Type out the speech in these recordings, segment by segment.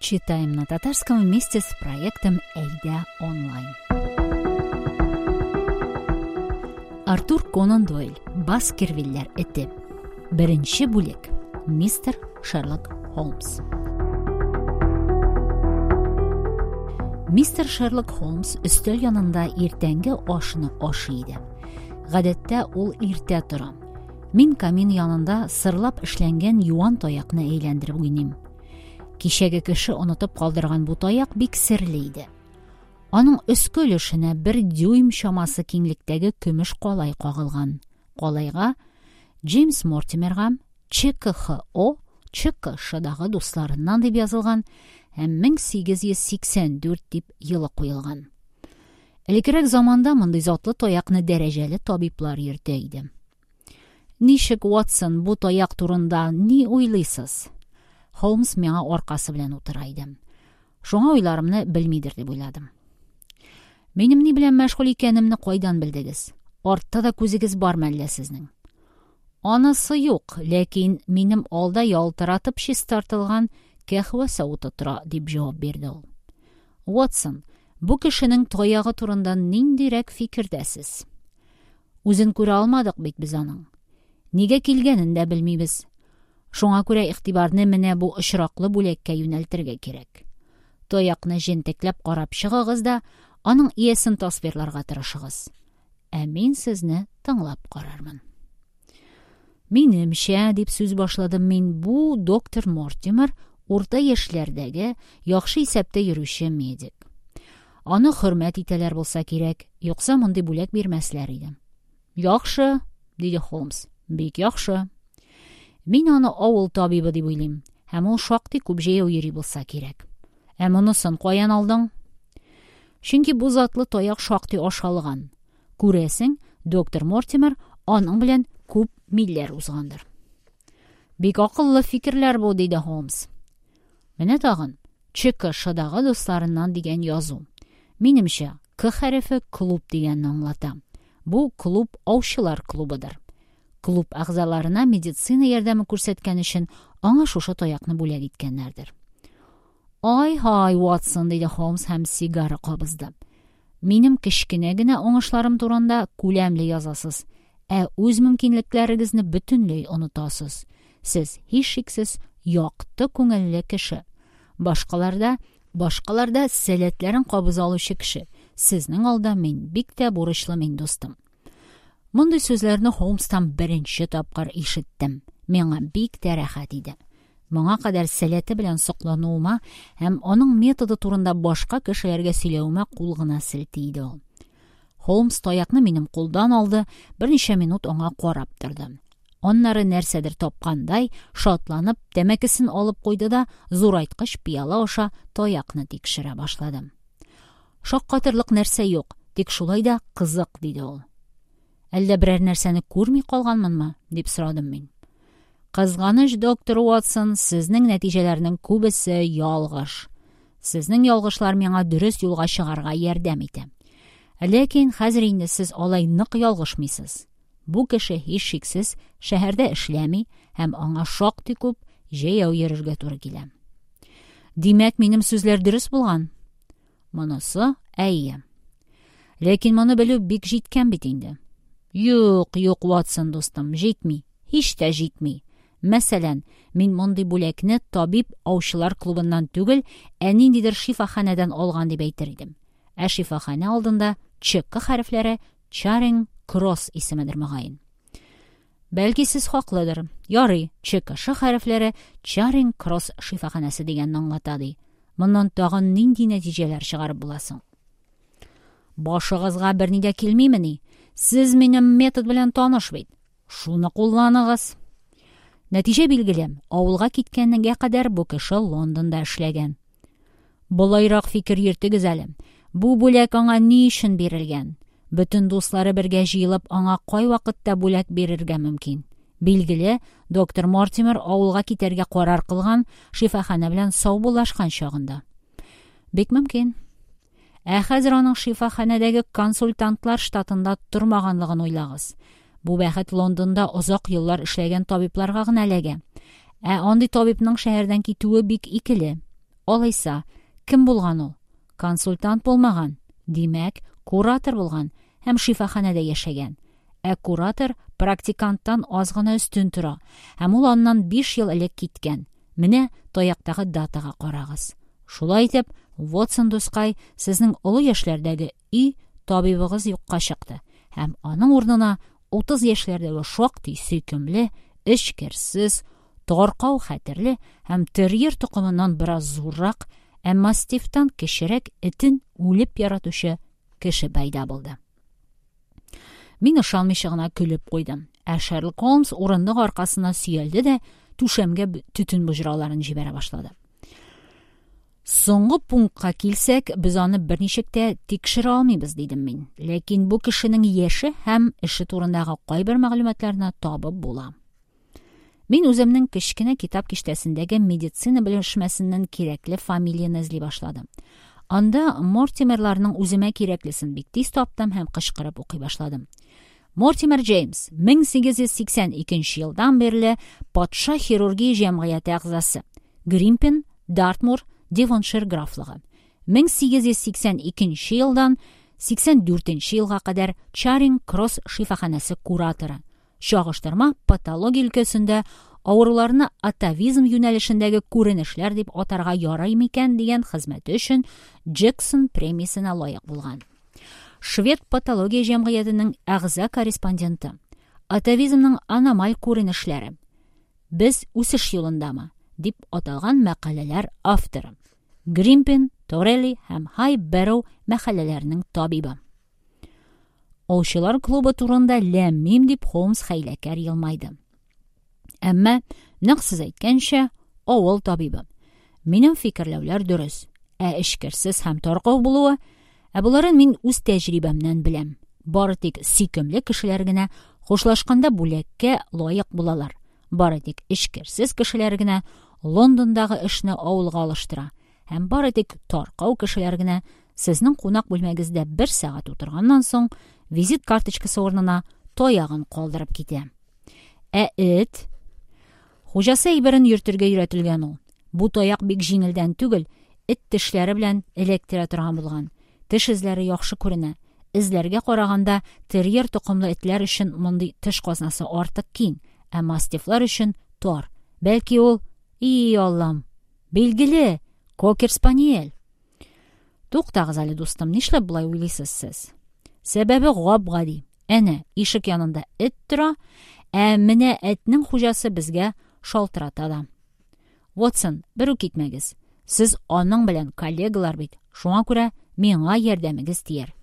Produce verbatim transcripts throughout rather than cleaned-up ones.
Читаем на татарском вместе с проектом «Әйдә онлайн». Артур Конан Дойль. Баскервильләр эте. Беренче бүлек. Мистер Шерлок Холмс. Мистер Шерлок Холмс өстәл янында иртәнге ашны ашый иде. Гадәттә ул иртә тора. Мин камин янында сырлап эшләнгән юан таякны әйләндереп уйныйм. Кичәге кеше онытып калдырган бу таяк бик серле иде. Аның өске өлешенә бер дюйм чамасы киңлектәге көмеш калай кагылган. Калайга Джеймс Мортимерга Ч К Х О Ч К Шдагы дусларыннан дип язылган һәм мең сигез йөз сиксән дүрт дип елы куелган. Элеккерәк заманда мондый затлы таякны дәрәҗәле табиблар йөртә иде. Ничек, Ватсон, бу таяк турында ни уйлыйсыз? Холмс миңа аркасы белән утыра иде. Шуңа уйларымны белмидер дип уйладым. Минем ни белән мәшгуль икәнемне кайдан белдегез? Артта да күзегез бар мәллә сезнең? Анысы юк, ләкин минем алда ялтыратып чистартылган кәһвә савыты тора, дип җавап бирде ул. Ватсон, бу кешенең таягы турында ниндирәк фикердәсез? Үзен күрә алмадык бит без аның. Нигә килгәнен дә белмибез. Шуңа күрә игътибарны менә бу очраклы бүләккә юнәлтергә кирәк. Таякны җентекләп карап чыгыгыз да, аның иясен тасвирларга тырышыгыз. Ә мин сезне тыңлап карармын. Минемчә, дип сүз башладым мин, бу доктор Мортимер урта яшьләрдәге, яхшы исәптә йөрүче медик. Аны хөрмәт итәләр булса кирәк, юкса мондый бүләк бирмәсләр иде. Яхшы, диде Холмс. Бик яхшы. Мин аны авыл табибы дип уйлыйм, һәм ул шактый күп җәяү йөри булса кирәк. Ә монысын каян алдың? Чөнки бу затлы таяк шактый ашалган. Күрәсең, доктор Мортимер аның белән күп милләр узгандыр. Бик акыллы фикерләр бу, диде Холмс. Менә тагын Ч К Шдагы дусларыннан дигән язу. Минемчә, К хәрефе клуб дигәнне аңлата. Бу клуб аучылар клубыдыр. Клуб әгъзаларына медицина ярдәме күрсәткән өчен аңа шушы таякны бүләк иткәннәрдер. Ай-һай, Ватсон, диде Холмс һәм сигара кабызды. Минем кечкенә генә уңышларым турында күләмле язасыз, ә үз мөмкинлекләрегезне бөтенләй онытасыз. Сез һичшиксез якты күңелле кеше. Башкаларда, башкаларда сәләтләрен кабыза алучы кеше. Сезнең алда мин бик тә бурычлы мин, дустым. Мондый сүзләрне Холмстан беренче тапкыр ишеттем. Миңа бик тә рәхәт иде. Моңа кадәр сәләте белән соклануыма һәм аның методы турында башка кешеләргә сөйләвемә кул гына селти иде ул. Холмс таякны минем кулдан алды, берничә минут аңа карап торды. Аннары нәрсәдер тапкандай, шатланып, тәмәкесен алып куйды да, зурайткыч пыяла аша таякны тикшерә башлады. Шаккатырлык нәрсә юк, тик шулай да кызык, диде ул. Әллә берәр нәрсәне күрми калганмынмы, дип сорадым мин. Кызганыч, доктор Уотсон, сезнең нәтиҗәләрнең күбесе ялгыш. Сезнең ялгышлар миңа дөрес юлга чыгарга ярдәм итә. Ләкин хәзер инде сез алай нык ялгышмыйсыз. Бу кеше һичшиксез шәһәрдә эшләми һәм аңа шактый күп җәяү йөрергә туры килә. Димәк, минем сүзләр дөрес булган? Монысы әйе. Ләкин моны белү бик җиткән бит инде. Юк, юк, Ватсон дустым, җитми. Һич тә җитми. Мәсәлән, мин мондый бүләкне табиб аучылар клубыннан түгел, ә ниндидер шифаханәдән алган дип әйтер идем. Ә шифаханә алдында Ч К хәрефләре Чаринг Кросс исемедер мөгаен. Бәлки сез хаклыдыр. Ярый, Ч К Ш хәрефләре Чаринг Кросс шифаханәсе дигәнне аңлата ди. Моннан тагын нинди нәтиҗәләр чыгарып була соң? Башыгызга берни дә килмимени? Сез минем метод белән таныш бит. Шуны кулланыгыз. Нәтиҗә билгеле. Авылга киткәнгә кадәр бу кеше Лондонда эшләгән. Болайрак фикер йөртегез әле. Бу бүләк аңа ни өчен бирелгән? Бөтен дуслары бергә җыелып, аңа кай вакытта бүләк бирергә мөмкин? Билгеле, доктор Мортимер авылга китәргә карар кылган, шифаханә белән саубуллашкан чагында. Бик мөмкин. Ә хәзер аның шифаханәдәге консультантлар штатында тормаганлыгын уйлагыз. Бу бәхет Лондонда озак еллар эшләгән табибларга гына эләгә. Ә андый табибның шәһәрдән китүе бик икеле. Алайса, кем булган ул? Консультант булмаган. Димәк, куратор булган һәм шифаханәдә яшәгән. Ә куратор практиканттан аз гына өстен тора, һәм ул аннан биш ел элек киткән. Менә таяктагы датага карагыз. Шулай итеп, Вотсон дускай, сезнең олы яшьләрдәге өй табибыгыз юкка чыкты, һәм аның урынына утыз яшьләрдәге шактый сөйкемле, эчкерсез, таркау хәтерле һәм терьер токымыннан бераз зуррак, ә мастифтан кечерәк этен үлеп яратучы кеше пәйда булды. Мин ышанмыйча гына көлеп куйдым. Ә Шерлок Холмс урындык аркасына сөялде дә түшәмгә төтен боҗраларын җибәрә башлады. Соңгы пунктка килсәк, без аны берничек тә тикшерә алмыйбыз, дидем мин. Ләкин бу кешенең яше һәм эше турындагы кайбер мәгълүматларны табып була. Мин үземнең кечкенә китап киштәсендәге медицина белешмәсеннән кирәкле фамилияне эзли башладым. Анда Мортимерларның үземә кирәклесен бик тиз таптым һәм кычкырып укый башладым. Мортимер Джеймс, мең сигез йөз сиксән икенче елдан бирле патша хирургия җәмгыяте әгъзасы. Гримпин, Дартмур, Девоншир графлыгы. мең сигез йөз сиксән икенче елдан сиксән дүртенче елга кадәр Чаринг Кросс шифаханәсе кураторы. Чагыштырма патология өлкәсендә авыруларны атавизм юнәлешендәге күренешләр дип атарга ярый микән дигән хезмәте өчен Джексон премиясенә лаек булган. Швед патология җәмгыятенең әгъза корреспонденты. Атавизмның аномаль күренешләре. Без үсеш юлындамы? Дип аталган мәкаләләр авторы. Гримпин, Торелли һәм Хай Бэрроу мәхәлләләренең табибы. Аучылар клубы турында ләм-мим дип Холмс хәйләкәр елмайды. Әмма, нәкъ сез әйткәнчә, авыл табибы. Минем фикерләүләр дөрес, ә эчкерсез һәм таркау булуы, ә буларын мин үз тәҗрибәмнән беләм. Бары тик сөйкемле кешеләр генә хушлашканда бүләккә лаек булалар. Бары тик эчкерсез кешеләр генә Лондондагы эшне авылга алыштыра. Һәм бары тик таркау кешеләр генә сезнең кунак бүлмәгездә бер сәгать утырганнан соң визит карточкасы урынына таягын калдырып китә. Ә эт? Хуҗасы әйберен йөртергә өйрәтелгән ул. Бу таяк бик җиңелдән түгел, эт тешләре белән эләктерә торган булган. Теш эзләре яхшы күренә. Эзләргә караганда терьер токымлы этләр өчен мондый теш казнасы артык киң, ә мастифлар өчен тар. Бәлки ул, и Аллам, билгеле, кокер-спаниель. Туктагыз әле, дустым, нишләп болай уйлыйсыз сез? Сәбәбе гап-гади. Әнә, ишек янында эт тора, ә менә этнең хуҗасы безгә шалтырата да. Ватсон, бер үк китмәгез. Сез аның белән коллегалар бит. Шуңа күрә миңа ярдәмегез тияр.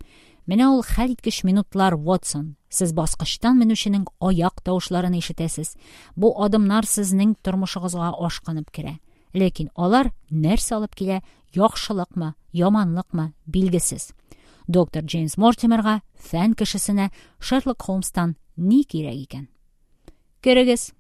Менә ул хәлиткеч минутлар, Ватсон. Сез баскычтан менүченең аяк тавышларын ишетәсез. Бу адымнар сезнең тормышыгызга ашкынып керә. Ләкин алар нәрсә алып килә, яхшылыкмы, яманлыкмы, билгесез. Доктор Джеймс Мортимерга, фән кешесенә Шерлок Холмстан ни кирәк икән? Керегез.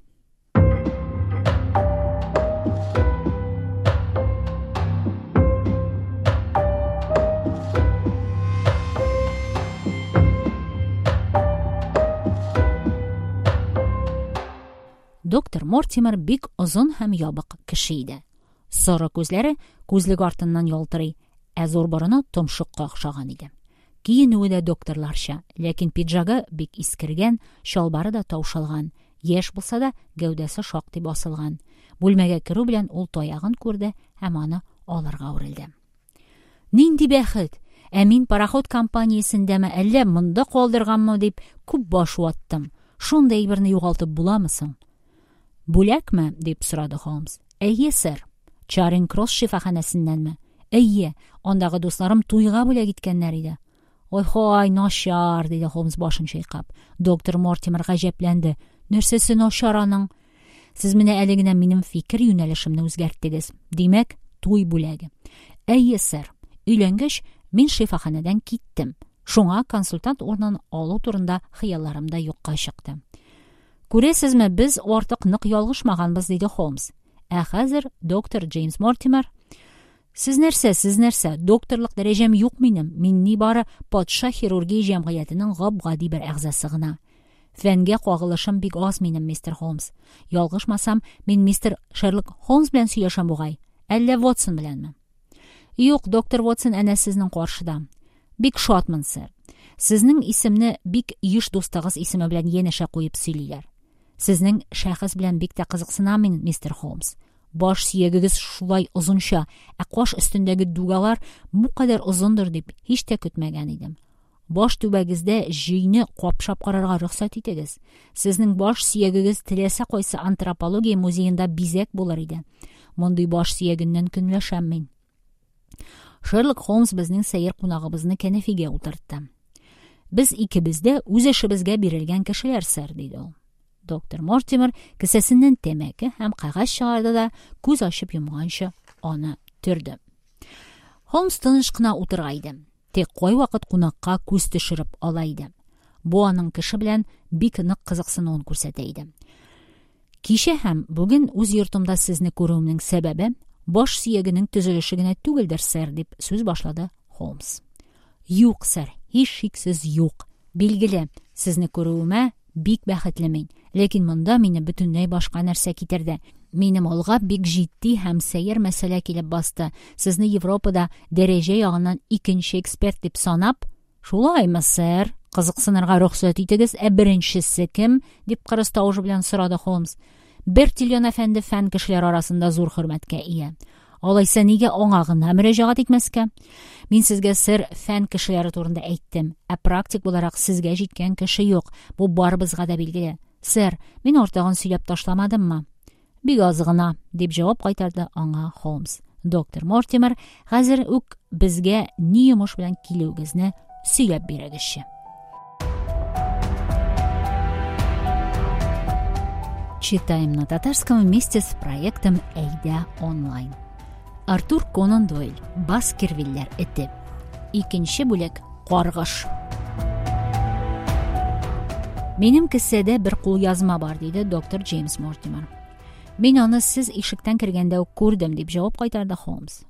Доктор Мортимер бик озын һәм ябык кеше иде. Соры күзләре күзлек артыннан ялтырый, ә зур борыны томшыкка охшаган иде. Киенүе дә докторларча, ләкин пиджагы бик искергән, чалбары да таушалган, яшь булса да гәүдәсе шактый басылган. Бүлмәгә керү белән ул таягын күрде һәм аны алырга үрелде. Нинди бәхет! Ә мин пароход компаниясендәме, әллә монда калдырганмы дип күп баш ваттым. Шундый әйберне югалтып буламы соң? Бүләкме? Дип сорады Холмс. Әйе, сэр. Чаринг Кросс шифаханәсеннәнме? Әйе, андагы дусларым туйга бүләк иткәннәр иде. Ой-хой, начар, диде Холмс башын чайкап. Доктор Мортимер гаҗәпләнде. Нәрсәсе начар аның? Сез менә әле генә минем фикер юнәлешемне үзгәрттегез. Димәк, туй бүләге. Әйе, сэр. Өйләнгәч, мин шифаханәдән киттем. Шуңа консультант урынын алу турында хыялларым да юкка чыкты. Күрәсезме, без артык нык ялгышмаганбыз, диде Холмс. Ә хәзер доктор Джеймс Мортимер: Сез нәрсә, сез нәрсә? Докторлык дәрәҗәм юк минем. Мин нибары патша хирургия җәмгыятенең гап-гади бер әгъзасы гына. Фәнгә кагылышым бик аз минем, мистер Холмс. Ялгышмасам, мин мистер Шерлок Холмс белән сөйләшәм бугай. Әллә Вотсон беләнме? Юк, доктор Вотсон әнә сезнең каршыда. Бик шатмын, сэр. Сезнең исемне бик еш дустыгыз исеме белән янәшә куеп сөйлиләр. Сезнең шәхес белән бик тә кызыксынам мин, мистер Холмс. Баш сөягегез шулай озынча, ә каш өстендәге дугалар бу кадәр озындыр дип һич тә көтмәгән идем. Баш түбәгездә җөйне капшап карарга рөхсәт итегез. Сезнең баш сөягегез теләсә кайсы антропология музеенда бизәк булыр иде. Мондый баш сөягеннән көнләшәм мин. Шерлок Холмс безнең сәер кунагыбызны кәнәфигә утыртты. Без икебез дә үз эшебезгә бирелгән кешеләр, сэр, диде ул. Доктор Мортимер кесәсеннән тәмәке һәм кәгазь чыгарды да күз ачып йомганчы аны төрде. Холмс тыныч кына утыра иде. Тик кайвакыт кунакка күз төшереп ала иде. Бу аның кеше белән бик нык кызыксынуын күрсәтә иде. Кичә һәм бүген үз йортымда сезне күрүемнең сәбәбе баш сөягенең төзелеше генә түгелдер, сэр, дип сүз башлады Холмс. Юк, сэр, һичшиксез юк. Билгеле, сезне күрүемә бик бәхетле мин. Ләкин монда мине бөтенләй башка нәрсә китерде. Минем алга бик җитди һәм сәер мәсьәлә килеп басты. Сезне Европада дәрәҗә ягыннан икенче эксперт дип санап, шулаймы, сэр? Кызыксынырга рөхсәт итегез, ә беренчесе кем? дип кырыс тавыш белән сорады Холмс. Бертильон әфәнде фән кешеләре арасында зур хөрмәткә ия. Алайса нигә аңа гына мөрәҗәгать итмәскә? Мин сезгә, сэр, фән кешеләре турында әйттем, ә практик буларак сезгә җиткән кеше юк. Бу барыбызга да билгеле. Сэр, мин артыгын сөйләп ташламадыммы? Бик аз гына, дип җавап кайтарды аңа Холмс. Доктор Мортимер, хәзер үк безгә ни йомыш белән килүегезне сөйләп бирегезче. Читаем на татарском вместе с проектом Әйдә онлайн. Артур Конан Дойль. Баскервилләр эте. Икенче бүлек. Каргыш. Минем кесәдә бер кулъязма бар, диде доктор Джеймс Мортимер. Мин аны сез ишектән кергәндә үк күрдем, дип җавап кайтарды Холмс.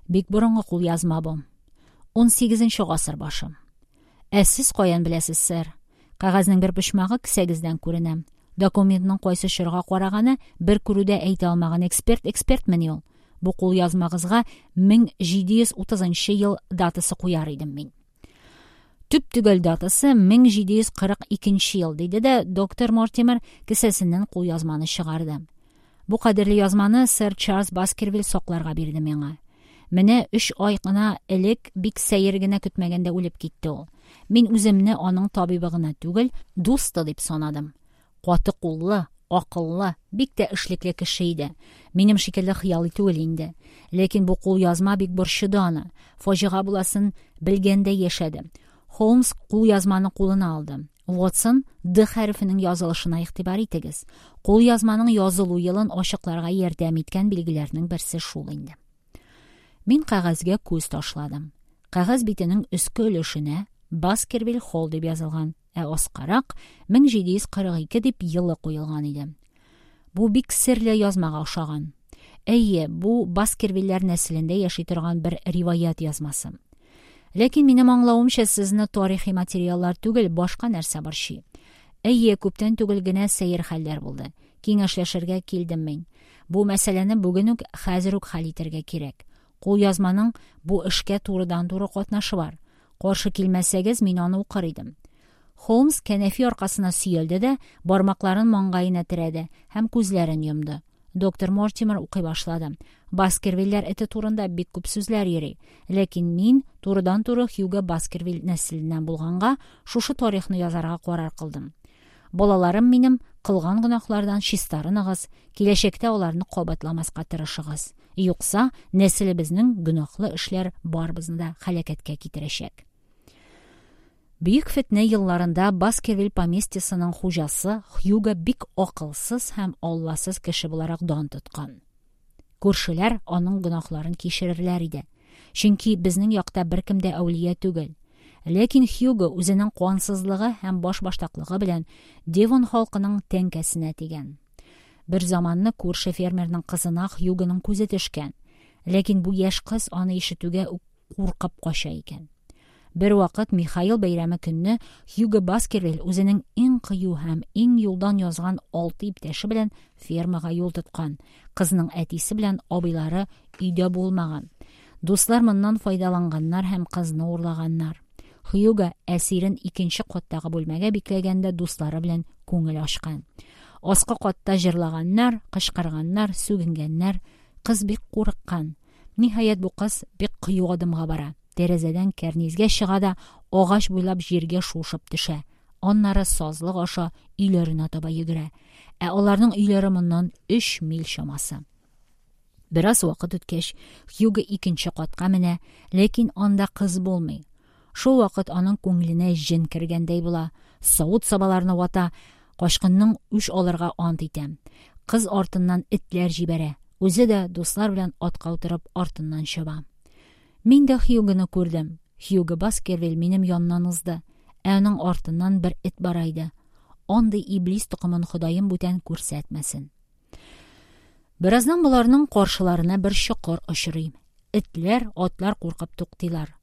Бик борынгы кулъязма бу. Ун сигезенче гасыр башы. Ә сез каян беләсез, сэр? Кәгазьнең бер почмагы кесәгездән күренә. Документның кайсы чорга караганы бер күрүдә әйтә алмаган эксперт экспертмени ул? Бу кулъязмагызга мең җиде йөз утызынчы ел датасы куяр идем мин. Төп төгәл датасы мең җиде йөз кырык икенче ел, диде дә доктор Мортимер кесәсеннән кулъязманы чыгарды. Бу кадерле язманы сэр Чарльз Баскервиль сакларга бирде миңа. Менә өч ай гына элек бик сәер генә көтмәгәндә үлеп китте ул. Мин үземне аның табибы гына түгел, дусты дип санадым. Каты куллы, акыллы, бик тә эшлекле кеше иде. Минем шикелле хыялый түгел инде. Ләкин бу кулъязма бик борчыды аны. Фаҗига буласын белгәндә яшәде. Холмс кулъязманы кулына алды. Ватсон, Д хәрефенең язылышына игътибар итегез. Кулъязманың язылу елын ачыкларга ярдәм иткән билгеләрнең берсе шул инде. Мин кәгазьгә күз ташладым. Кәгазь битенең өске өлешенә Баскервиль Холл дип язылган, ә аскарак мең җиде йөз кырык ике дип елы куелган иде. Бу бик серле язмага охшаган. Әйе, бу Баскервилләр нәселендә яши торган бер риваять язмасы. Ләкин минем аңлавымча, сезне тарихи материаллар түгел, башка нәрсә борчый. Әйе, күптән түгел генә сәер хәлләр булды. Киңәшләшергә килдем мин. Бу мәсьәләне бүген үк, хәзер үк хәл итәргә кирәк. Кулъязманың бу эшкә турыдан-туры катнашы бар. Каршы килмәсәгез, мин аны укыр идем. Холмс кәнәфи аркасына сөялде дә, бармакларын маңгаена терәде һәм күзләрен йомды. Доктор Мортимер укый башлады. Баскервилләр эте турында бик күп сүзләр йөри. Ләкин мин турыдан-туры Хьюго Баскервиль нәселеннән булганга шушы тарихны язарга карар кылдым. Балаларым минем кылган гөнаһлардан чистарыныгыз, киләчәктә аларны кабатламаска тырышыгыз. Юкса, нәселебезнең гөнаһлы эшләр барыбызны да һәлакәткә китерәчәк. Бөек фетнә елларында Баскервиль поместьесының хуҗасы Хьюго бик акылсыз һәм алласыз кеше буларак дан тоткан. Күршеләр аның гөнаһларын кичерерләр иде. Чөнки безнең якта беркем дә әүлия түгел. Ләкин Хьюго үзенең кансызлыгы һәм башбаштаклыгы белән Девон халкының тәңкәсенә тигән. Бер заманны күрше фермерның кызына Хьюгоның күзе төшкән. Ләкин бу яшь кыз аны ишетүгә үк куркып кача икән. Бервакыт Михаил бәйрәме көнне Хьюго Баскервиль үзенең иң кыю һәм иң юлдан язган алты иптәше белән фермага юл тоткан. Кызның әтисе белән абыйлары өйдә булмаган. Дуслар моннан файдаланганнар һәм кызны урлаганнар. Хьюго әсирен икенче каттагы бүлмәгә бикләгән дә дуслары белән күңел ачкан. Аскы катта җырлаганнар, кычкырганнар, сүгенгәннәр. Кыз бик курыккан. Ниһаять, бу кыз бик кыю адымга бара. Тәрәзәдән кәрнизгә чыга да агач буйлап җиргә шуышып төшә. Аннары сазлык аша өйләренә таба йөгерә. Ә аларның өйләре моннан өч миль чамасы. Бераз вакыт үткәч, Хьюго икенче катка менә, ләкин анда кыз булмый. Шул вакыт аның күңеленә җен кергәндәй була. Савыт-сабаларны вата, качкынның үч алырга ант итә. Кыз артыннан этләр җибәрә. Үзе дә дуслар белән атка утырып артыннан чаба. Мин дә Хьюгоны күрдем. Хьюго Баскервиль минем яннан узды, ә аның артыннан бер эт бара иде. Андый иблис токымын Ходаем бүтән күрсәтмәсен. Бераздан боларның каршыларына бер чокыр очрый. Этләр, атлар куркып туктыйлар.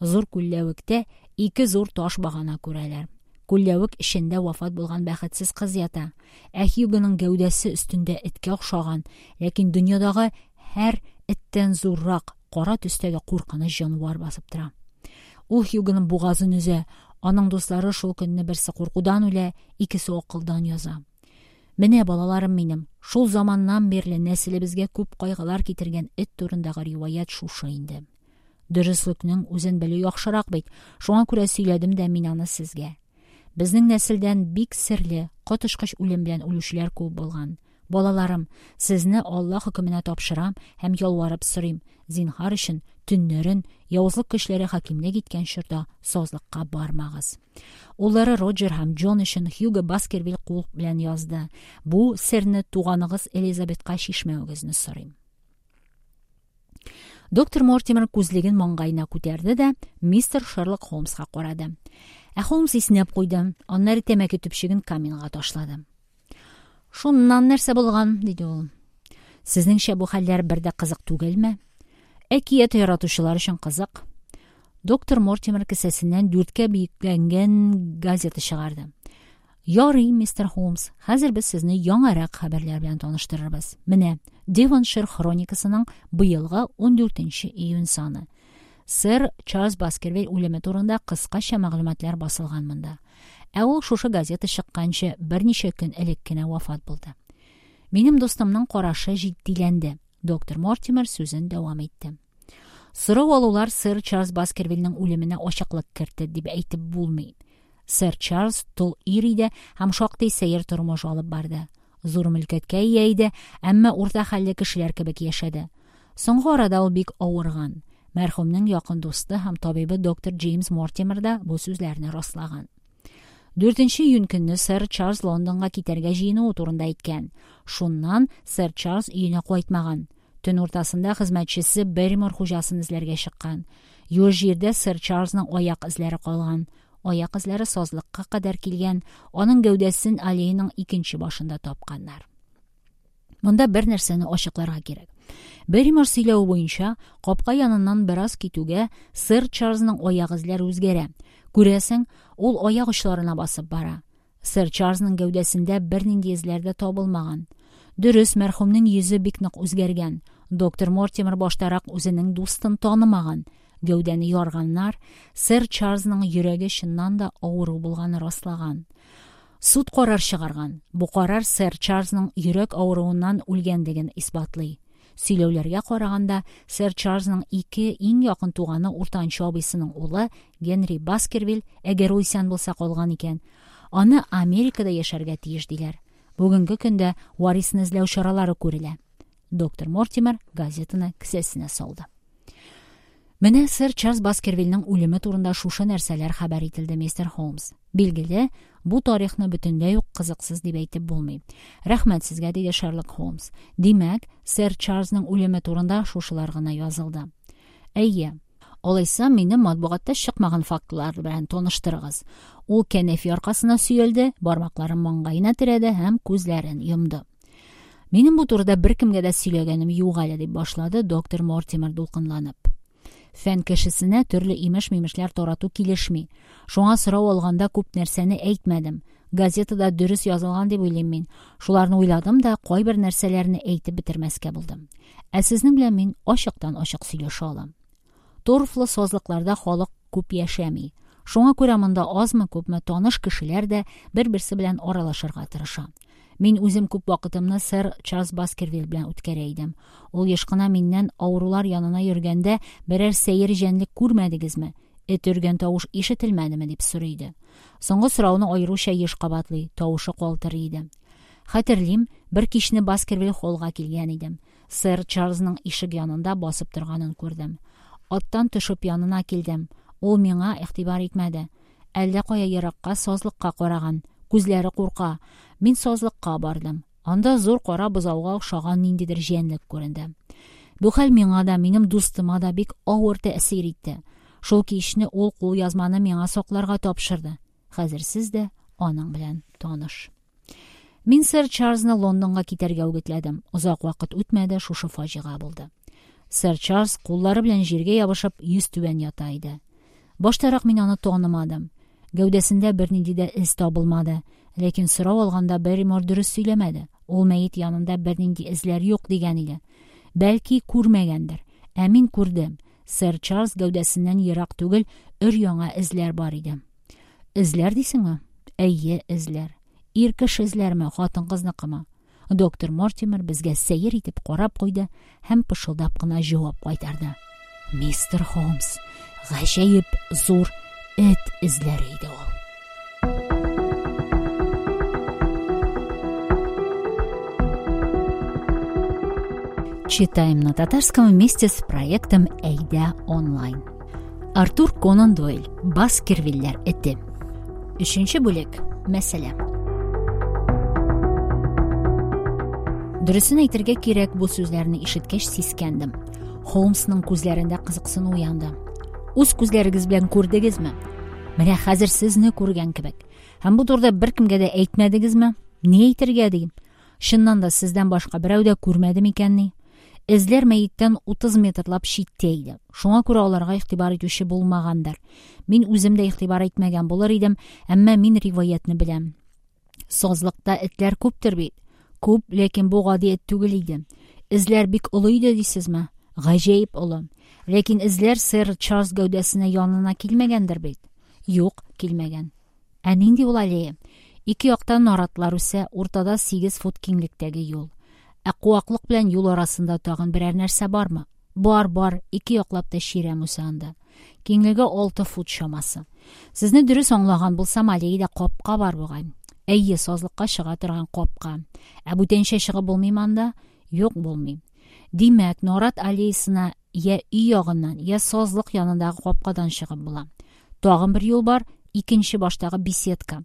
Зур күлләвектә ике зур таш багана күрәләр. Күлләвек эчендә вафат булган бәхетсез кыз ята. Ә Хьюгоның гәүдәсе өстендә эткә охшаган, ләкин дөньядагы һәр эттән зуррак, кара төстәге куркыныч җанвар басып тора. Ул Хьюгоның бугазын өзә. Аның дуслары шул көнне берсе куркудан үлә, икесе акылдан яза. Менә, балаларым минем, шул заманнан бирле нәселебезгә күп кайгылар китергән эт турындагы риваять шушы инде. Дөреслекнең үзен белү яхшырак бит, шуңа күрә сөйләдем дә мин аны сезгә. Безнең нәселдән бик серле, коточкыч үлем белән үлүчеләр күп булган. Балаларым, сезне Алла хөкеменә тапшырам һәм ялварып сорыйм, зинһар өчен төннәрен явызлык көчләре хакимлек иткән чорда сазлыкка бармагыз. Уллары Роджер һәм Джон өчен Хьюго Баскервиль кул белән язды. Бу серне туганыгыз Элизабетка чишмәвегезне сорыйм. Доктор Мортимер күзлеген маңгаена күтәрде дә мистер Шерлок Холмска карады. Ә Холмс иснәп куйды, аннары тәмәке төпчеген каминга ташлады. Шуннан нәрсә булган, диде ул. Сезнеңчә бу хәлләр бер дә кызык түгелме? Әкият яратучылар өчен кызык. Доктор Мортимер кесәсеннән дүрткә биекләнгән газета чыгарды. Ярый, мистер Холмс, хәзер без сезне яңарак хәбәрләр белән таныштырырбыз. Менә Девоншир хроникасының быелгы ундүртенче июнь саны. Сэр Чарльз Баскервиль үлеме турында кыскача мәгълүматлар басылган монда. Ә ул шушы газета чыкканчы берничә көн элек кенә вафат булды. Минем дустымның карашы җитдиләнде. Доктор Мортимер сүзен дәвам итте. Сорау алулар сэр Чарльз Баскервильнең үлеменә ачыклык кертте дип әйтеп булмый. Сэр Чарльз тол ир иде һәм шактый сәер тормыш алып барды. Зур мөлкәткә ия иде, әмма урта хәлле кешеләр кебек яшәде. Соңгы арада ул бик авырган. Мәрхүмнең якын дусты һәм табибы доктор Джеймс Мортимер да бу сүзләрне раслаган. Дүртенче июнь көнне сэр Чарльз Лондонга китәргә җыенуы турында әйткән. Шуннан сэр Чарльз өенә кайтмаган. Төн уртасында хезмәтчесе Берримор хуҗасын эзләргә чыккан. Юеш җирдә сэр Чарльзның аяк эзләре калган. Аяк эзләре сазлыкка кадәр килгән. Аның гәүдәсен аллеяның икенче башында тапканнар. Монда бер нәрсәне ачыкларга кирәк. Берримор сөйләве буенча, капка яныннан бераз китүгә сэр Чарльзның аяк эзләре үзгәрә. Күрәсең, ул аяк очларына басып бара. Сэр Чарльзның гәүдәсендә бернинди эзләр дә табылмаган. Дөрес, мәрхүмнең йөзе бик нык үзгәргән. Доктор Мортимер баштарак үзенең дустын танымаган. Гәүдәне ярганнар, сэр Чарльзның йөрәге чыннан да авыру булганы раслаган. Суд карар чыгарган. Бу карар сэр Чарльзның йөрәк авыруыннан үлгәнлеген исбатлый. Сөйләүләргә караганда, сэр Чарльзның ике иң якын туганы уртанчы абыйсының улы Генри Баскервиль, әгәр ул исән булса калган икән, аны Америкада яшәргә тиеш диләр. Бүгенге көндә варисны эзләү чаралары күрелә. Доктор Мортимер газетаны кесәсенә салды. Менә сэр Чарльз Баскервильнең үлеме турында шушы нәрсәләр хәбәр ителде, мистер Холмс. Билгеле, бу тарихны бөтенләй үк кызыксыз дип әйтеп булмый. Рәхмәт сезгә, диде Шерлок Холмс. Димәк, сэр Чарльзның үлеме турында шушылар гына язылды. Әйе, алайса мине матбугатта чыкмаган фактлар белән таныштырыгыз. Ул кәнәфи аркасына сөялде, бармакларын маңгаена терәде һәм күзләрен йомды. Минем бу турыда беркемгә дә сөйләгәнем юк әле, дип башлады доктор Мортимер дулкынланып. Фән кешесенә төрле имеш-мимешләр тарату килешми. Шуңа сорау алганда күп нәрсәне әйтмәдем. Газетада дөрес язылган дип уйлыйм мин. Шуларны уйладым да, кайбер нәрсәләрне әйтеп бетермәскә булдым. Ә сезнең белән мин ачыктан-ачык сөйләшә алам. Торфлы сазлыкларда халык күп яшәми. Шуңа күрә монда азмы-күпме таныш кешеләр дә бер-берсе белән аралашырга тырыша. Мин үзем күп вакытымны сэр Чарльз Баскервиль белән үткәрә идем. Ул еш кына миннән авырулар янына йөргәндә берәр сәер җәнлек күрмәдегезме? Эт өргән тавыш ишетелмәдеме дип сорый иде. Соңгы сорауны аеруча еш кабатлый, тавышы калтырый иде. Хәтерлим, бер кичне Баскервиль холлга килгән идем. Сэр Чарльзның ишек янында басып торганын күрдем. Аттан төшеп янына килдем. Ул миңа игътибар итмәде. Әллә кая еракка сазлыкка караган. Күзләре курка. Мин сазлыкка бардым. Анда зур кара бозауга охшаган ниндидер җәнлек күренде. Бу хәл миңа да, минем дустыма да бик авыр тәэсир итте. Шул кичне ул кулъязманы миңа сакларга тапшырды. Хәзер сез дә аның белән таныш. Мин сэр Чарльзны Лондонга китәргә үгетләдем. Озак вакыт үтмәде, шушы фаҗига булды. Сэр Чарльз куллары белән җиргә ябышып, йөз түбән ята иде. Баштарак мин аны танымадым. Гәүдәсендә бернинди дә эз табылмады. Ләкин сорау алганда Берримор дөрес сөйләмәде. Ул мәет янында бернинди эзләр юк дигән иде. Бәлки күрмәгәндер. Ә мин күрдем. Сэр Чарльз гәүдәсеннән ерак түгел өр-яңа эзләр бар иде. Эзләр дисеңме? Әйе, эзләр. Ир кеше эзләрме, хатын-кызныкымы? Доктор Мортимер безгә сәер итеп карап куйды һәм пышылдап кына җавап кайтарды. Мистер Холмс, гаҗәеп зур эт эзләре иде ул. Читаем на татарском вместе с проектом Әйдә онлайн. Артур Конан Дойль. Баскервильләр эте. Өченче бүлек. Мәсьәлә. Дөресен әйтергә кирәк, бу сүзләрне ишеткәч сискәндем. Холмсның күзләрендә кызыксыну уянды. Үз күзләрегез белән күрдегезме? Менә хәзер сезне күргән кебек. Һәм бу турыда беркемгә дә әйтмәдегезме? Ни әйтергә дим? Чыннан да сездән башка берәү дә күрмәде микәнни? Эзләр мәеттән утыз метрлап читтә иде. Шуңа күрә аларга игътибар итүче булмагандыр. Мин үзем дә игътибар итмәгән булыр идем, әмма мин риваятьне беләм. Сазлыкта этләр күптер бит. Күп, ләкин бу гади эт түгел иде. Эзләр бик олы иде дисезме? Гаҗәеп олы. Ләкин эзләр сэр Чарльз гәүдәсенә янына килмәгәндер бит. Юк, килмәгән. Ә нинди ул аллея? Ике яктан наратлар үсә, уртада сигез фут киңлектәге юл. Ә куаклык белән юл арасында тагын берәр нәрсә бармы? Бар, бар, ике яклап та чирәм үсә анда. Киңлеге алты фут чамасы. Сезне дөрес аңлаган булсам, аллеяда капка бар бугай. Әйе, сазлыкка чыга торган капка. Ә бүтәнчә чыгып булмыймы анда? Юк, булмый. Димәк, нарат аллеясына я өй ягыннан, я сазлык янындагы капкадан чыгып була. Тагын бер юл бар, икенче баштагы беседка.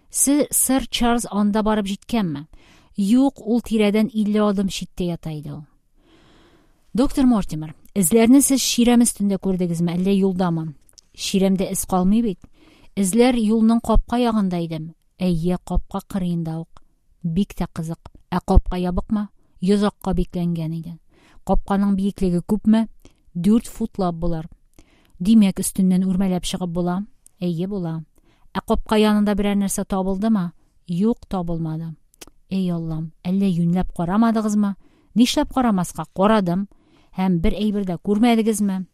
Сэр Чарльз анда барып җиткәнме? Юк, ул тирәдән илле адым читтә ята иде ул. Доктор Мортимер, эзләрне сез чирәм өстендә күрдегезме, әллә юлдамы? Чирәмдә эз калмый бит. Эзләр юлның капка ягында иде. Әйе, капка кырыенда ук. Бик тә кызык. Ә капка ябыкмы? Йозакка бикләнгән иде. Капканың биеклеге күпме? Дүрт футлап булыр. Димәк, өстеннән үрмәләп чыгып була? Әйе, була. Ә капка янында берәр нәрсә табылдымы? Юк, табылмады. Эй Аллам, әллә юньләп карамадыгызмы? Нишләп карамаска? Карадым. Һәм бер әйбер дә күрмәдегезме?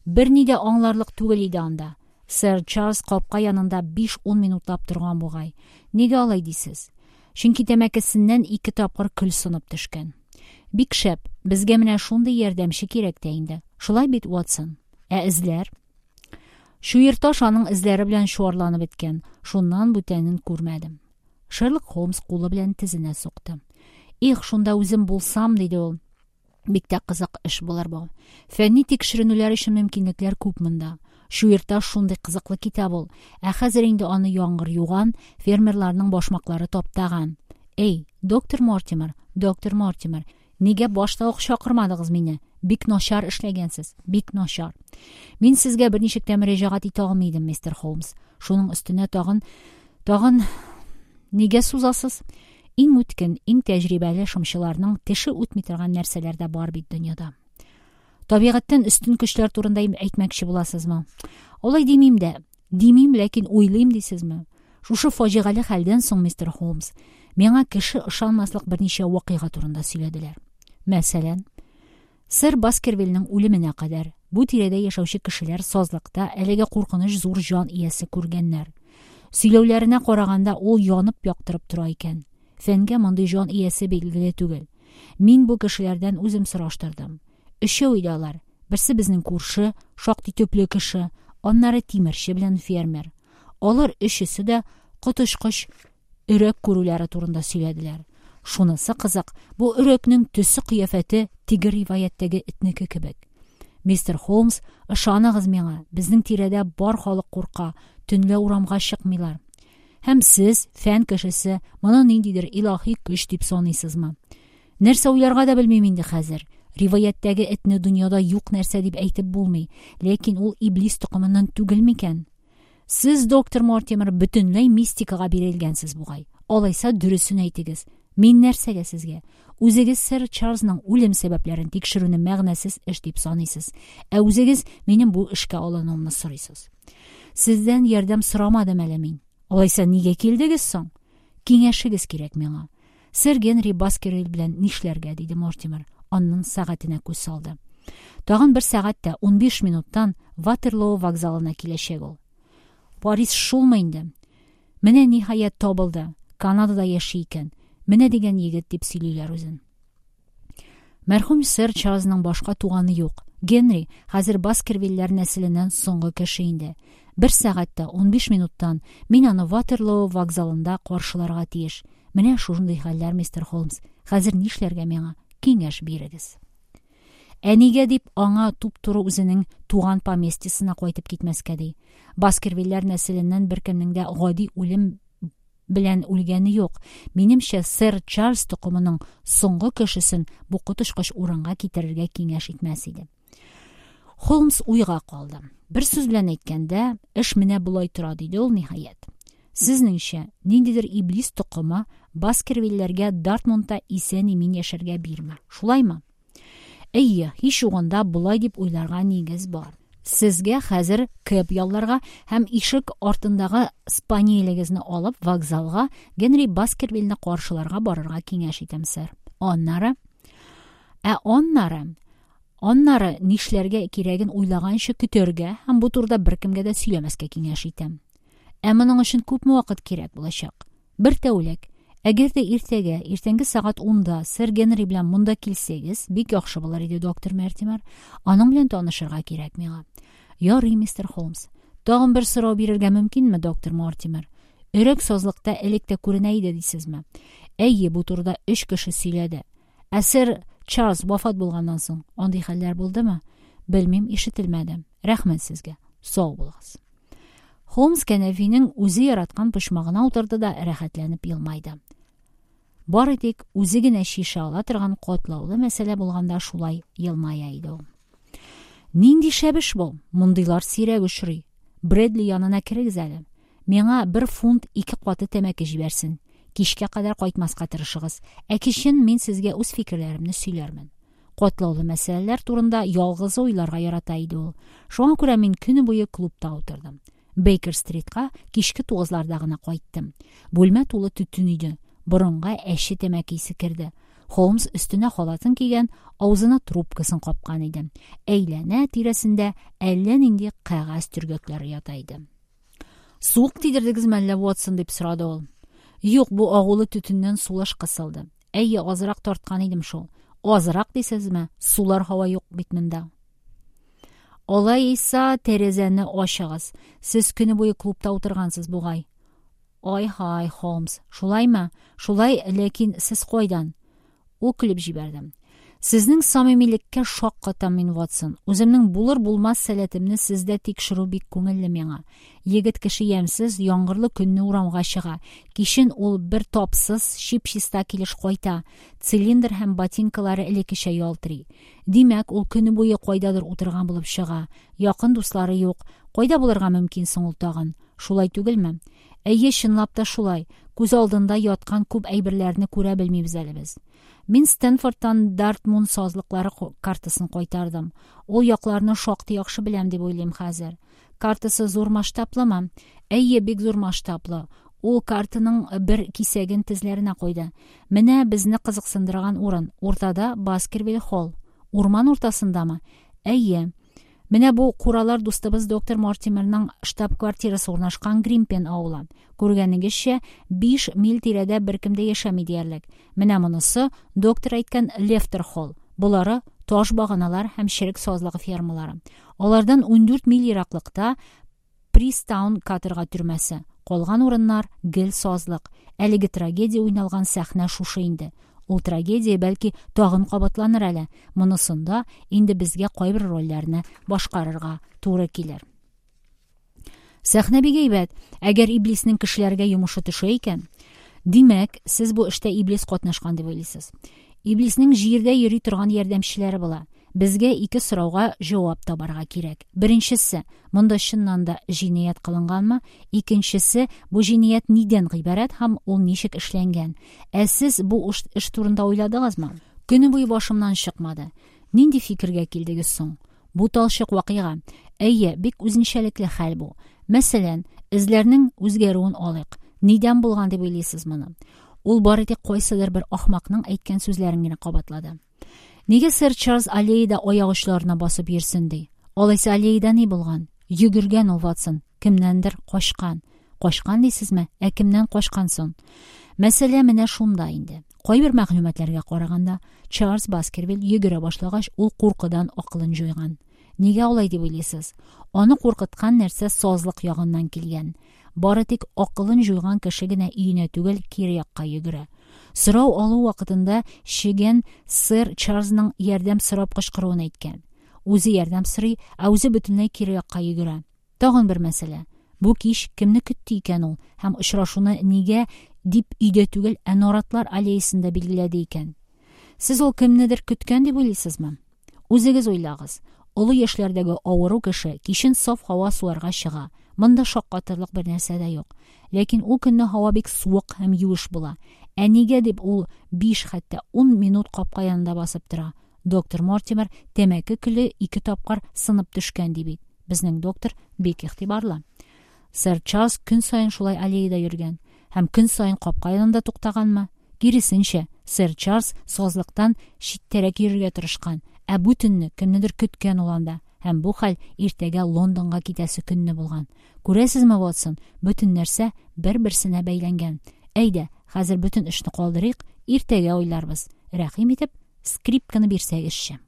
Берни дә аңларлык түгел иде анда. Сэр Чарльз капка янында биш-ун минутлап торган бугай. Нигә алай дисез? Чөнки тәмәкесеннән ике тапкыр көл сынып төшкән. Бик шәп, безгә менә шундый ярдәмче кирәк тә инде. Шулай бит, Уотсон? Ә эзләр? Чуерташ аның эзләре белән чуарланып беткән. Шуннан бүтәнен күрмәдем. Шерлок Холмс кулы белән тезенә сукты. Их, шунда үзем булсам, диде ул. Бик тә кызык эш булыр бу. Фәнни тикшеренүләр өчен мөмкинлекләр күп монда. Чуерташ шундый кызыклы китап ул. Ә хәзер инде аны яңгыр юган, фермерларның башмаклары таптаган. Эй, доктор Мортимер, доктор Мортимер, нигә башта ук чакырмадыгыз мине? Бик начар эшләгәнсез, бик начар. Мин сезгә берничек тә мөрәҗәгать итә алмый идем, мистер Холмс. Шуның өстенә тагын, тагын нигә сузасыз? Иң үткен, иң тәҗрибәле шымчыларның теше үтми торган нәрсәләр дә бар бит дөньяда. Табигатьтән өстен көчләр турында әйтмәкче буласызмы? Алай димим дә. Димим, ләкин уйлыйм дисезме? Шушы фаҗигале хәлдән соң, мистер Холмс, миңа кеше ышанмаслык берничә вакыйга турында сөйләделәр. Мәсәлән, сэр Баскервильнең үлеменә кадәр бу тирәдә яшәүче кешеләр сазлыкта әлеге куркыныч зур җан иясе күргәннәр. Сөйләүләренә караганда, ул янып яктырып тора икән. Фәнгә мондый җан иясе билгеле түгел. Мин бу кешеләрдән үзем сораштырдым. Өчәү иде алар. Берсе безнең күрше, шактый төпле кеше, аннары тимерче белән фермер. Алар өчесе дә коточкыч өрәк күрүләре турында сөйләделәр. Шунысы кызык, бу өрәкнең төсе-кыяфәте теге риваятьтәге этнеке кебек. Мистер Холмс, ышаныгыз миңа, безнең тирәдә бар халык курка, төнлә урамга чыкмыйлар. Һәм сез, фән кешесе, моны ниндидер илаһи көч дип саныйсызмы? Нәрсә уйларга да белмим инде хәзер. Риваятьтәге этне дөньяда юк нәрсә дип әйтеп булмый, ләкин ул иблис токымыннан түгел микән? Сез, доктор Мортимер, бөтенләй мистикага бирелгәнсез бугай. Алайса дөресен әйтегез. Мин нәрсәгә сезгә? Үзегез сэр Чарльзның үлем сәбәпләрен тикшерүне мәгънәсез эш дип саныйсыз. Ә үзегез минем бу эшкә алынуымны сорыйсыз. Сездән ярдәм сорамадым әле мин. Алайса нигә килдегез соң? Киңәшегез кирәк миңа. Сэр Генри Баскервиль белән нишләргә, диде Мортимер. Аннан сәгатенә күз салды. Тагын бер сәгать тә унбиш минуттан Ватерлоо вокзалына киләчәк ул. Париж шулмы инде? Менә ниһаять табылды. Канадада яши икән. Менә дигән егет дип сөйлиләр үзен. Мәрхүм сэр Чарльзның башка туганы юк. Генри хәзер Баскервильләр нәселеннән соңгы кеше инде. Бер сәгать тә унбиш минуттан мин аны Ватерлоо вокзалында каршыларга тиеш. Менә шундый хәлләр, мистер Холмс. Хәзер нишләргә миңа? Киңәш бирегез. Ә нигә дип аңа туп-туры үзенең туган поместьесына кайтып китмәскә ди? Баскервильләр нәселеннән беркемнең дә гади үлем белән үлгәне юк. Минемчә, сэр Чарльз токымының соңгы кешесен бу коточкыч урынга китерергә киңәш итмәс иде. Холмс уйга калды. Бер сүз белән әйткәндә, эш менә болай тора, диде ул ниһаять. Сезнеңчә, ниндидер иблис токымы Баскервильләргә Дартмунта исән-имин яшәргә бирми. Шулаймы? Әйе, һич югында болай дип уйларга нигез бар. Сезгә хәзер кэб ялларга һәм ишек артындагы спаниелегезне алып вокзалга Генри Баскервильне каршыларга барырга киңәш итәм, сэр. Аннары, ә аннары, аннары нишләргә кирәген уйлаганчы көтәргә һәм бу турыда беркемгә дә сөйләмәскә киңәш итәм. Ә моның өчен күпме вакыт кирәк булачак? Бер тәүлек. Әгәр дә иртәгә, иртәнге сәгать унда сэр Генри белән монда килсәгез, бик яхшы булыр иде, доктор Мортимер. Аның белән танышырга кирәк миңа. Ярый, мистер Холмс. Тагын бер сорау бирергә мөмкинме, доктор Мортимер? Өрәк сазлыкта элек тә күренә иде дисезме? Әйе, бу турыда өч кеше сөйләде. Ә сэр Чарльз вафат булганнан соң андый хәлләр булдымы? Белмим, ишетелмәде. Рәхмәт сезгә. Сау булыгыз. Холмс кәнәфинең үзе яраткан почмагына утырды да рәхәтләнеп елмайды. Бары тик үзе генә чишә ала торган катлаулы мәсьәлә булганда шулай елмая иде ул. Нинди шәп эш бу? Мондыйлар сирәк очрый. Брэдли янына керегез әле. Миңа бер фунт ике каты тәмәке җибәрсен. Кичкә кадәр кайтмаска тырышыгыз. Ә кичен мин сезгә үз фикерләремне сөйләрмен. Катлаулы мәсьәләләр турында ялгызы уйларга ярата иде ул. Шуңа күрә мин көне буе клубта утырдым. Бейкер-стритка кичке тугызларда гына кайттым. Бүлмә тулы төтен иде. Борынга әче тәмәке исе керде. Холмс өстенә халатын кигән, авызына трубкасын капкан иде. Әйләнә тирәсендә әллә нинди кәгазь төргәкләре ята иде. Суык тидердегезме әллә, Ватсон, дип сорады ул. Юк, бу агулы төтеннән сулыш кысылды. Әйе, азрак тарткан идем шул. Азрак дисезме? Сулар һава юк бит монда. Алайса тәрәзәне ачыгыз. Сез көне буе клубта утыргансыз бугай. Ай-һай, Холмс, шулаймы? Шулай, ләкин сез кайдан? Ул көлеп җибәрде. Сезнең самимилеккә шаккатам мин, Ватсон. Үземнең булыр-булмас сәләтемне сездә тикшерү бик күңелле миңа. Егет кеше ямьсез, яңгырлы көнне урамга чыга. Кичен ул бер тапсыз, чип-чиста килеш кайта. Цилиндр һәм ботинкалары элеккечә ялтырый. Димәк, ул көне буе кайдадыр утырган булып чыга. Якын дуслары юк. Кайда булырга мөмкин соң ул тагын? Шулай түгелме? Әйе, чынлап та шулай. Күз алдында яткан күп әйберләрне күрә белмибез әле без. Мин Стэнфордтан Дартмун сазлыклары картасын кайтардым. Ул якларны шактый яхшы беләм дип уйлыйм хәзер. Картасы зур масштаблымы? Әйе, бик зур масштаблы. Ул картаның бер кисәген тезләренә куйды. Менә безне кызыксындырган урын. Уртада Баскервиль холл. Урман уртасындамы? Әйе. Менә бу куралар дустыбыз доктор Мортимерның штаб-квартирасы урнашкан Гримпен авылы. Күргәнегезчә, биш миль тирәдә беркем дә яшәми диярлек. Менә монысы доктор әйткән Лефтер холл. Болары таш баганалар һәм черек сазлыгы фермалары. Алардан ундүрт миль ераклыкта Пристаун каторга төрмәсе. Калган урыннар гел сазлык. Әлеге трагедия уйналган сәхнә шушы инде. Ул трагедия бәлки тагын кабатланыр әле. Монысында инде безгә кайбер рольләрне башкарырга туры килер. Сәхнә бик әйбәт. Әгәр иблиснең кешеләргә йомышы төшә икән, димәк, сез бу эштә иблис катнашкан дип уйлыйсыз. Иблиснең җирдә йөри торган ярдәмчеләре була. Безгә ике сорауга җавап табарга кирәк. Беренчесе, монда чыннан да җинаять кылынганмы? Икенчесе, бу җинаять нидән гыйбарәт һәм ул ничек эшләнгән? Ә сез бу эш турында уйладыгызмы? Көне буе башымнан чыкмады. Нинди фикергә килдегез соң? Бу талчык вакыйга. Әйе, бик үзенчәлекле хәл бу. Мәсәлән, эзләрнең үзгәрүен алыйк. Нидән булган дип уйлыйсыз моны? Ул бары тик кайсыдыр бер ахмакның әйткән сүзләрен генә кабатлады. Нигә сэр Чарльз аллеяда аяк очларына басып йөрсен ди? Алайса аллеяда ни булган? Йөгергән ул, Ватсон, кемнәндер качкан. Качкан дисезме? Ә кемнән качкан соң? Мәсьәлә менә шунда инде. Кайбер мәгълүматларга караганда, Чарльз Баскервиль йөгерә башлагач, ул куркудан акылын җуйган. Нигә алай дип уйлыйсыз? Аны куркыткан нәрсә сазлык ягыннан килгән. Бары тик акылын җуйган кеше генә өенә түгел, кире якка йөгерә. Сорау алу вакытында чегән сэр Чарльзның ярдәм сорап кычкыруын әйткән. Үзе ярдәм сорый, ә үзе бөтенләй кире якка йөгерә. Тагын бер мәсьәлә. Бу кич кемне көтте икән ул һәм очрашуны нигә дип өйдә түгел, ә наратлар аллеясында билгеләде икән? Сез ул кемнедер көткән дип уйлыйсызмы? Үзегез уйлагыз. Олы яшьләрдәге авыру кеше кичен саф һава суларга чыга. Монда шаккатырлык бер нәрсә дә юк. Ләкин ул көнне һава бик суык һәм юеш була. Ә нигә дип ул биш хәтта ун минут капка янында басып тора? Доктор Мортимер тәмәке көле ике тапкыр сынып төшкән ди бит. Безнең доктор бик игътибарлы. Сэр Чарльз көн саен шулай аллеяда йөргән һәм көн саен капка янында туктаганмы? Киресенчә, сэр Чарльз сазлыктан читтәрәк йөрергә тырышкан, ә бу төнне кемнедер көткән ул анда. Һәм бу хәл иртәгә Лондонга китәсе көнне булган. Күрәсезме, Ватсон, бөтен нәрсә бер-берсенә бәйләнгән. Әйдә, хәзер бөтен эшне калдырыйк, иртәгә уйларбыз. Рәхим итеп, скрипканы бирсәгезче.